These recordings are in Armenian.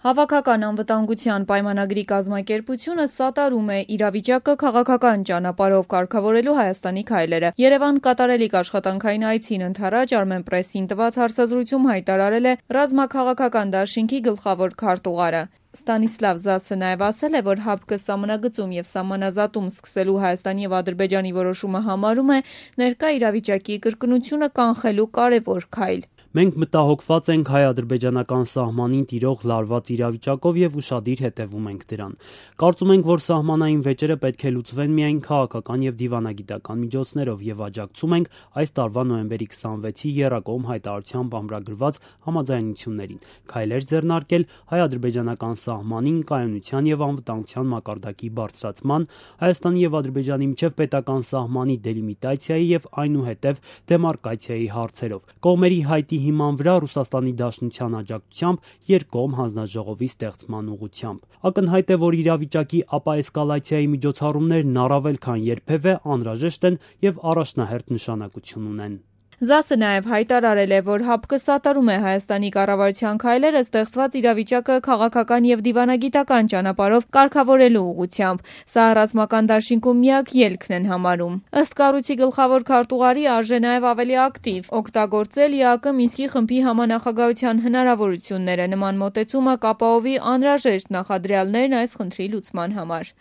Հավաքական անվտանգության պայմանագրի կազմակերպությունը սատարում է իրավիճակը քաղաքական ճանապարհով կարգավորելու Հայաստանի քայլերը։ Երևան կատարելիք աշխատանքային այցին ընդառաջ Armenpress-ին տված հարցազրույցում հայտարարել է ռազմաքաղաքական դաշինքի գլխավոր քարտուղարը։ Ստանիսլավ Զասը նաև ասել է, որ ՀԱՊԿ սահմանագծում և սահմանազատում սկսելու Հայաստանի և Ադրբեջանի որոշումը համարում է ներկա իրավիճակի կրկնությունը կանխելու կարևոր քայլ։ Մենք մտահոգված ենք հայ-ադրբեջանական սահմանին տիրող լարված իրավիճակով և ուշադիր հետևում ենք դրան։ Կարծում ենք, որ սահմանային վեճերը պետք է լուծվեն միայն քաղաքական և դիվանագիտական միջոցներով և աջակցում ենք այս տարվա նոյեմբերի 26-ի եռակողմ հայտարարությամբ ամրագրված համաձայնություններին, քայլեր ձեռնարկել հայ-ադրբեջանական սահմանին կայունության և անվտանգության մակարդակի բարձրացման, Հայաստանի և Ադրբեջանի միջև պետական սահմանի դելիմիտացիայի և այնուհետև դեմարկացիայի հարցերով։ Կողմերի հայտի հիման վրա Ռուսաստանի Դաշնության աջակցությամբ երկկողմ հանձնաժողովի ստեղծման ուղղությամբ։ Ակնհայտ է, որ իրավիճակի ապաէսկալացիայի միջոցառումներն առավել քան երբևէ անհրաժեշտ են և առաջնահերթ նշանակություն ունեն։ Զասը նաև հայտարարել է, որ ՀԱՊԿ սատարում է Հայաստանի կառավարության քայլերը ստեղծված իրավիճակը քաղաքական և դիվանագիտական ճանապարհով կարգավորելու ուղղությամբ։ Սա ռազմական դաշինքում միակ ելքն են համարում։ Ըստ կառույցի գլխավոր քարտուղարի, արժե նաև ավելի ակտիվ օգտագործել ԵԱԿ Մինսկի խմբի համանախագահության հնարավորությունները։ Նման մոտեցումը կապահովի անհրաժեշտ նախադրյալներն այս խնդրի լուծման համար։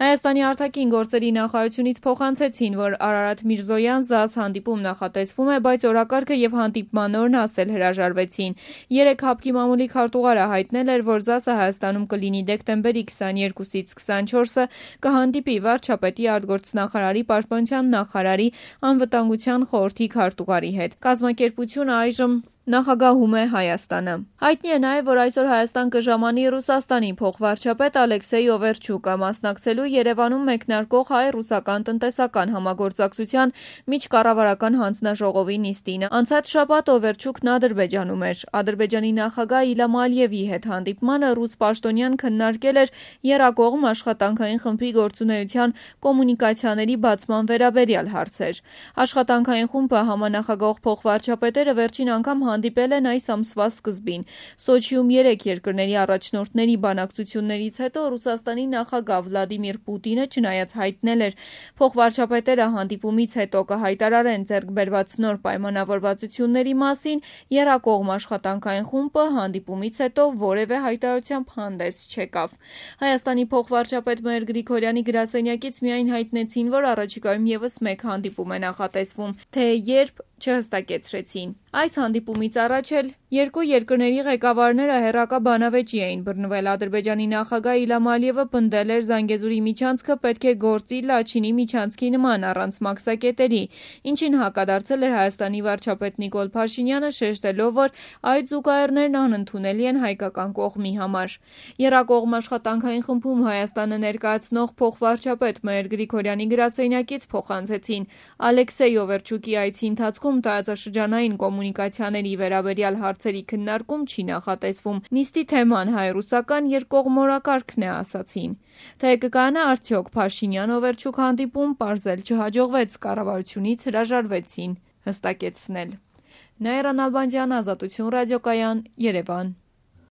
Հայաստանի արտաքին գործերի նախարարությունից փոխանցեցին, որ Արարատ Միրզոյան ԶԱՍ հանդիպում նախատեսվում է, բայց օրակարգը և հանդիպման օրն ասել հրաժարվեցին։ Երեկ ՀԱՊԿ-ի մամուլի քարտուղարը հայտնել էր, որ ԶԱՍ-ը Հայաստանում կլինի դեկտեմբերի 22-ից 24-ը, կհանդիպի վարչապետի, արտգործնախարարի, պաշտպանության նախարարի, անվտանգության խորհրդի քարտուղարի հետ։ Կազմակերպությունը այժմ նախագահում է Հայաստանը։ Հայտնի է նաև, որ այսօր Հայաստան կժամանի Ռուսաստանի փոխվարչապետ Ալեքսեյ Օվերչուկը մասնակցելու Երևանում մեկնարկող հայ-ռուսական տնտեսական համագործակցության միջկառավարական հանձնաժողովի նիստին։ Անցած շաբաթ Օվերչուկն Ադրբեջանում էր։ Ադրբեջանի նախագահ Իլհամ Ալիևի հետ հանդիպմանը ռուս պաշտոնյան քննարկել էր եռակողմ աշխատանքային խմբի գործունեության կոմունիկացիաների բացման վերաբերյալ հարցեր։ Աշխատանքային խումբը համանախագահող փոխվարչապետերը վերջին անգամ հանդիպել են այս ամսվա սկզբին։ Սոչիում 3 երկրների առաջնորդների բանակցություններից հետո Ռուսաստանի նախագահ Վլադիմիր Պուտինը չնայած հայտնել էր փոխվարչապետերը հանդիպումից հետո կհայտարարեն ձեռք բերված նոր պայմանավորվածությունների մասին, եռակողմ աշխատանքային խումբը հանդիպումից հետո որևէ հայտարարությամբ հանդես չեկավ։ Հայաստանի փոխվարչապետ Մհեր Գրիգորյանի գրասենյակից միայն հայտնեցին, որ առաջիկայում ևս մեկ հանդիպում է նախատեսվում, թե երբ չհստակեցրեցին։ Այս հանդիպումից առաջ էլ երկու երկրների ղեկավարները հեռակա բանավեճի էին բռնվել։ Ադրբեջանի նախագահ Իլհամ Ալիևը պնդել էր Զանգեզուրի միջանցքը պետք է գործի Լաչինի միջանցքի նման առանց մաքսակետերի, ինչին հակադարձել էր Հայաստանի վարչապետ Նիկոլ Փաշինյանը, շեշտելով, որ այդ զուգահեռներն անընդունելի են հայկական կողմի համար։ Եռակողմ աշխատանքային խմբում Հայաստանը ներկայացնող փոխվարչապետ Մհեր Գրիգորյանի գրասենյակից փոխանցեցին Ալեքսեյ Օվերչուկի այցի ընթացքում տարածաշրջանային կոմունիկացիաների վերաբերյալ հարցերի քննարկում չի նախատեսվում։ Նիստի թեման հայ-ռուսական երկկողմորակարգն է, ասացին։ Թե կկայանա արդյոք Փաշինյան-Օվերչուկ հանդիպում, պարզել չհաջողվեց, կառավարությունից հրաժարվեցին հստակեցնել։ Նաիրա Նալբանդյան, Ազատություն ռադիոկայան, Երևան։